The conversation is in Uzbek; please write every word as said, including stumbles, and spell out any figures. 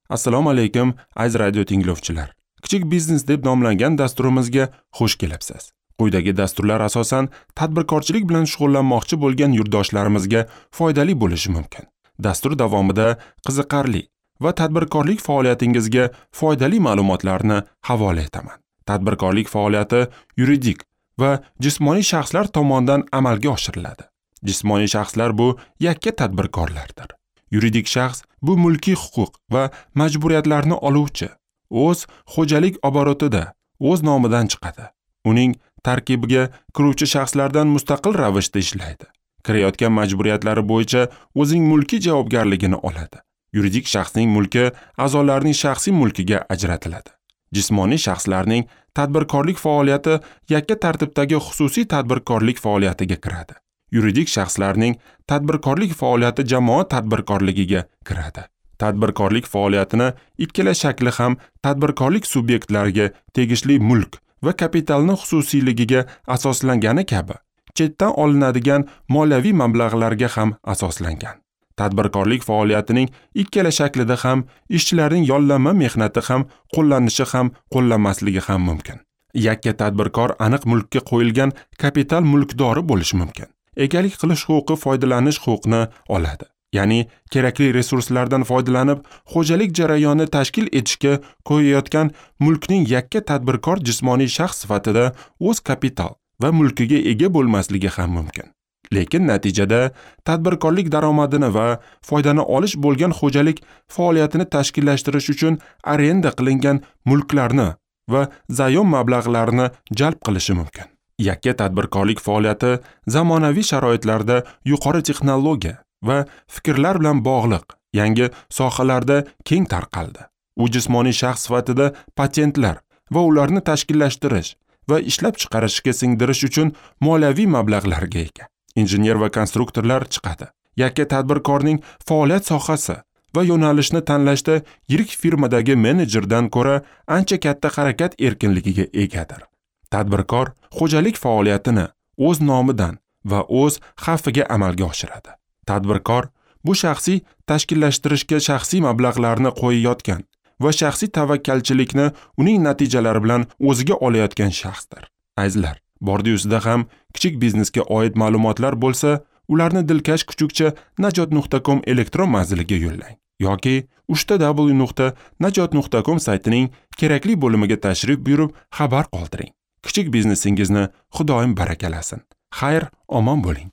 Assalomu alaykum, aziz radio tinglovchilar. Kichik biznes deb nomlangan dasturimizga xush kelibsiz. Quyidagi dasturlar asosan tadbirkorchilik bilan shug'ullanmoqchi bo'lgan yurtdoshlarimizga foydali bo'lishi mumkin. Dastur davomida qiziqarli va tadbirkorlik faoliyatingizga foydali ma'lumotlarni havola etaman. Tadbirkorlik faoliyati yuridik va jismoniy shaxslar tomonidan amalga oshiriladi. Jismoniy shaxslar bu yakka tadbirkorlardir. Yuridik shaxs bu mulkiy huquq va majburiyatlarni oluvchi, o'z xo'jalik oborotida o'z nomidan chiqadi. Uning tarkibiga kiruvchi shaxslardan mustaqil ravishda ishlaydi. Kirayotgan majburiyatlari bo'yicha o'zining mulkiy javobgarligini oladi. Yuridik shaxsning mulki a'zolarining shaxsiy mulkiga ajratiladi. Jismoniy shaxslarning tadbirkorlik faoliyati yakka tartibdagi xususiy tadbirkorlik faoliyatiga kiradi. Yuridik shaxslarning tadbirkorlik faoliyati jamoat tadbirkorligiga kiradi. Tadbirkorlik faoliyatini ikkala shakli ham tadbirkorlik subyektlariga tegishli mulk va kapitalni xususiyligiga asoslangani kabi, chetdan olinadigan moliyaviy mablag'larga ham asoslangan. Tadbirkorlik faoliyatining ikkala shaklida ham ishchilarning yollanma mehnati ham qo'llanishi ham qo'llanmasligi ham mumkin. Yakka tadbirkor aniq mulkka qo'yilgan kapital mulkdori bo'lishi mumkin. Egalik qilish huquqi foydalanish huquqini oladi. Ya'ni kerakli resurslardan foydalanib, xo'jalik jarayonini tashkil etishga qo'yayotgan mulkning yakka tadbirkor jismoniy shaxs sifatida o'z kapital va mulkiga ega bo'lmasligi ham mumkin. Lekin natijada tadbirkorlik daromadini va foydani olish bo'lgan xo'jalik faoliyatini tashkillashtirish uchun arenda qilingan mulklarni va zayom mablag'larini jalb qilishi mumkin. Yakka tadbirkorlik faoliyati zamonaviy sharoitlarda yuqori texnologiya va fikrlar bilan bog'liq yangi sohalarda keng tarqaldi. U jismoniy shaxs sifatida patentlar va ularni tashkillashtirish va ishlab chiqarishga singdirish uchun moliyaviy mablag'larga ega. Injener va konstruktorlar chiqadi. Yakka tadbirkorning faoliyat sohasi va yo'nalishni tanlashda yirik firmadagi menejerdan ko'ra ancha katta harakat erkinligiga egadir. Tadbirkor xo'jalik faoliyatini o'z nomidan va o'z xavfiga amalga oshiradi. Tadbirkor bu shaxsiy tashkillashtirishga shaxsiy mablag'larni qo'yayotgan va shaxsiy tavakkalchilikni uning natijalari bilan o'ziga olayotgan shaxsdir. Azizlar, bordi-yusida ham kichik biznesga oid ma'lumotlar bo'lsa, ularni dilkash kuchukcha najot nuqta com elektron manziliga yo'llang yoki uchta w nuqta najot nuqta com saytining kerakli bo'limiga tashrif buyurib xabar qoldiring. Kichik biznesingizni Xudoyim barakalasin. Xayr, omon bo'ling.